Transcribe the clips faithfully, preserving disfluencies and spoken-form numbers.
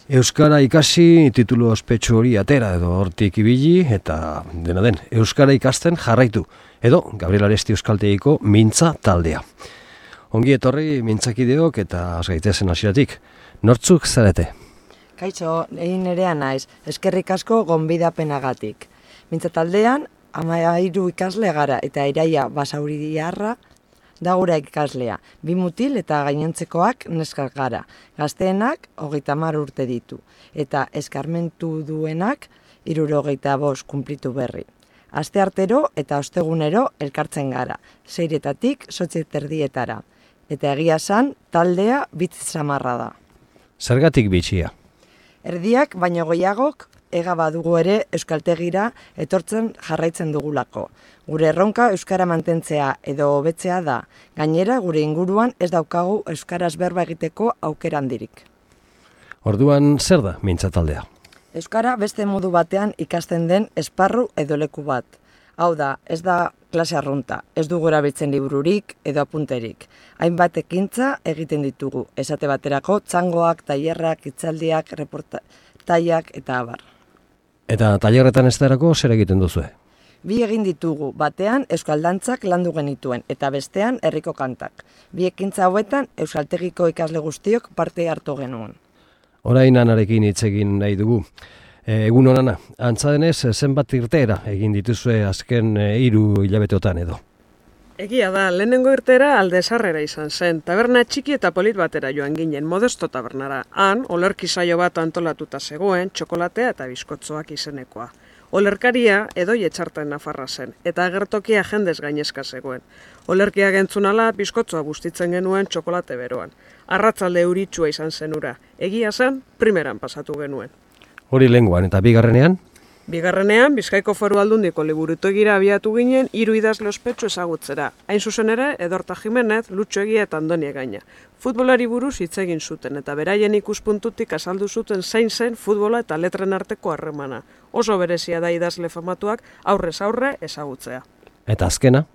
Euskara ikasi, titulu ospetsu hori atera edo hortik ibili eta dena den, Euskara ikasten jarraitu edo Gabriel Aresti Euskaltegiko Mintza taldea. Ongi etorri mintzakideok eta azgaitezen hasieratik. Nortzuk zarete? Kaixo, egin nerea naiz, eskerrik asko gonbidapenagatik. Mintza taldean, hamairu ikasle gara eta Iraia Basauriarra da gure ikaslea. Bi mutil eta gainontzekoak neskak gara. Gazteenak hogeita hamar urte ditu eta eskarmentu duenak hirurogeita bost kunplitu berri. Asteartero eta ostegunero elkartzen gara, seiretatik zortzi terdietara. Eta egia esan, taldea bitz samarra da. Zergatik bitxia? Erdiak baino gehiagok ega badugu ere euskaltegira etortzen jarraitzen dugulako. Gure erronka euskara mantentzea edo hobetzea da. Gainera gure inguruan ez daukagu euskaraz berba egiteko aukera handirik. Orduan zer da Mintza taldea? Euskara beste modu batean ikasten den esparru edo leku bat. Hau da, ez da klase arrunta, ez dugu erabiltzen libururik edo apunterik. Hainbat ekintza egiten ditugu, esate baterako txangoak, tailerrak, hitzaldiak, reportaiak eta abar. Eta tailerretan ez darako zer egiten duzue? Bi egin ditugu, batean euskaldantzak landu genituen eta bestean herriko kantak. Bi ekintza hauetan euskaltegiko ikasle guztiok parte hartu genuen. Orain Anarekin hitz egin nahi dugu. Egun honana, antza denez zenbat irteera egin dituzue azken hiru hilabeteotan edo? Egia da, lehenengo irteera Alde Zaharrera izan zen, taberna txiki eta polit batera joan ginen, Modesto tabernara. Han, olerki saio bat antolatuta zegoen, txokolatea eta bizkotzoak izenekoa. Olerkaria edoi etxarten nafarra zen, eta agertokia jendez gainezka zegoen. Olerkiak entzunala, bizkotzoa bustitzen genuen txokolate beroan. Arratzalde euritsua izan zenura, egia zen, primeran pasatu genuen. Hori lehenguan eta bigarrenean? Bigarrenean, Bizkaiko Foru Aldundiko liburutegira abiatu ginen hiru idazle ospetsu ezagutzera. Hain zuzen ere, Edorta Jimenez, Lutxo Egia eta Andoni Egaña. Futbolari buruz hitz egin zuten eta beraien ikuspuntutik azaldu zuten zein zen futbola eta letren arteko harremana. Oso berezia da idazle famatuak aurrez aurre ezagutzea. Eta azkena?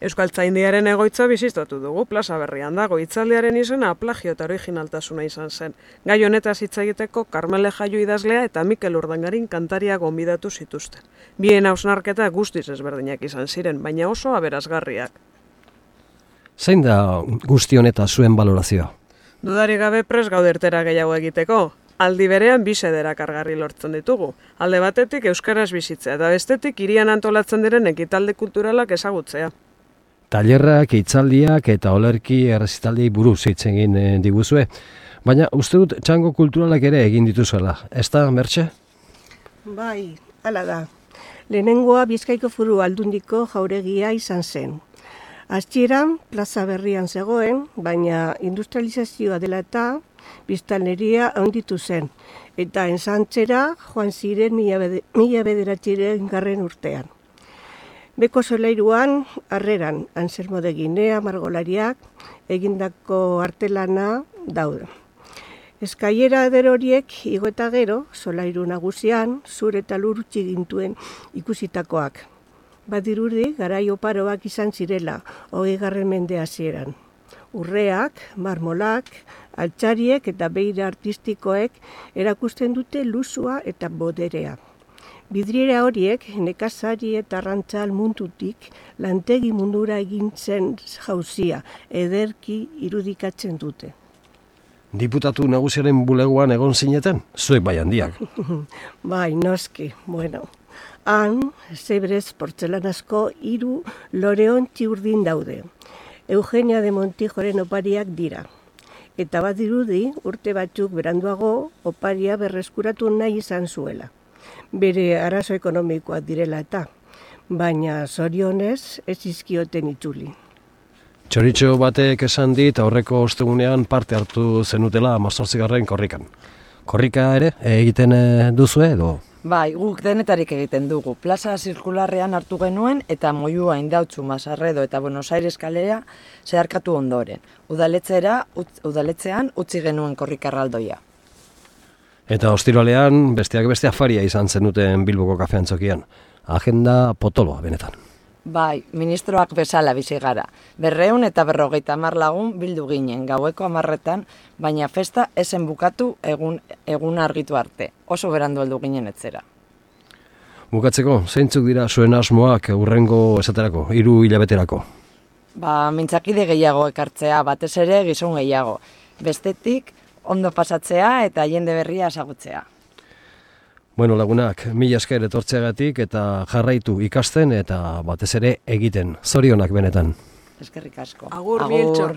Euskaltzaindiaren egoitza bizitatu dugu, plaza berrian dago, hitzaldiaren izena plagio eta originaltasuna izan zen. Gai honetaz hitz egiteko Karmele Jaio idazlea eta Mikel Urdangarin kantaria gonbidatu zituzten. Bien hausnarketa guztiz ezberdinak izan ziren, baina oso aberasgarriak. Zein da guzti honeta zuen balorazioa? Dudarik gabe prest gaude irtera gehiago egiteko. Aldi berean bi xedera kargarri lortzen ditugu. Alde batetik euskaraz bizitzea eta bestetik hirian antolatzen diren ekitalde kulturalak ezagutzea. Tailerrak, hitzaldiak eta olerki errezitaldiei buruz hitz egin diguzue, baina uste dut txango kulturalak ere egin dituzuela, ez da, Mertxe? Bai, hala da. Lehenengoa Bizkaiko Foru Aldundiko jauregia izan zen. Hasieran plaza berrian zegoen, baina industrializazioa dela eta biztanleria handitu zen, eta ensantzera joan ziren mila bederatziren garren urtean. Beko solairuan, harreran, Anselmo de Ginea, margolariak, egindako artelana daude. Eskaiera eder horiek igo eta gero, solairu nagusian, zur eta lur utzi gintuen ikusitakoak. Badirudi, garai oparoak izan zirela, hogeigarren mende hasieran. Urreak, marmolak, altxariek eta beira artistikoek erakusten dute luzua eta boderea. Bidriera horiek nekazari eta arrantzal mundutik lantegi mundura egintzen jauzia ederki irudikatzen dute. Diputatu nagusiaren bulegoan egon zineten, zuek bai handiak. Bai, noski, bueno. Han, zebrez portzelanazko hiru loreontzi urdin daude. Eugenia de Montijoren opariak dira. Eta badirudi urte batzuk beranduago oparia berreskuratu nahi izan zuela. Bere arazo ekonomikoak direla eta, baina zorionez ez izkioten itzuli. Txoritxo batek esan dit aurreko ostegunean parte hartu zenutela hamazortzigarren korrikan. Korrika ere egiten duzue edo? Bai, guk denetarik egiten dugu. Plaza zirkularrean hartu genuen eta Moyua, Indautxu, Masarredo eta Buenos Aires kalea zeharkatu ondoren. Udaletzeera, udaletzean utzi genuen korrikarraldoia. Eta ostiralean besteak beste afaria izan zenuten Bilboko kafean txokian. Agenda potoloa benetan. Bai, ministroak bezala bizi gara. Berreun eta berrogeita hamar lagun bildu ginen gaueko hamarretan, baina festa esen bukatu egun, egun argitu arte. Oso berandu heldu ginen etzera. Bukatzeko, zeintzuk dira zuen asmoak hurrengo esaterako, hiru hilabeterako? Ba, mintzakide gehiago ekartzea, batez ere gizon gehiago. Bestetik, ondo pasatzea eta jende berria ezagutzea. Bueno, lagunak, mila esker etortzeagatik eta jarraitu ikasten eta batez ere egiten. Zorionak benetan. Eskerrik asko. Agur, Bieltxor.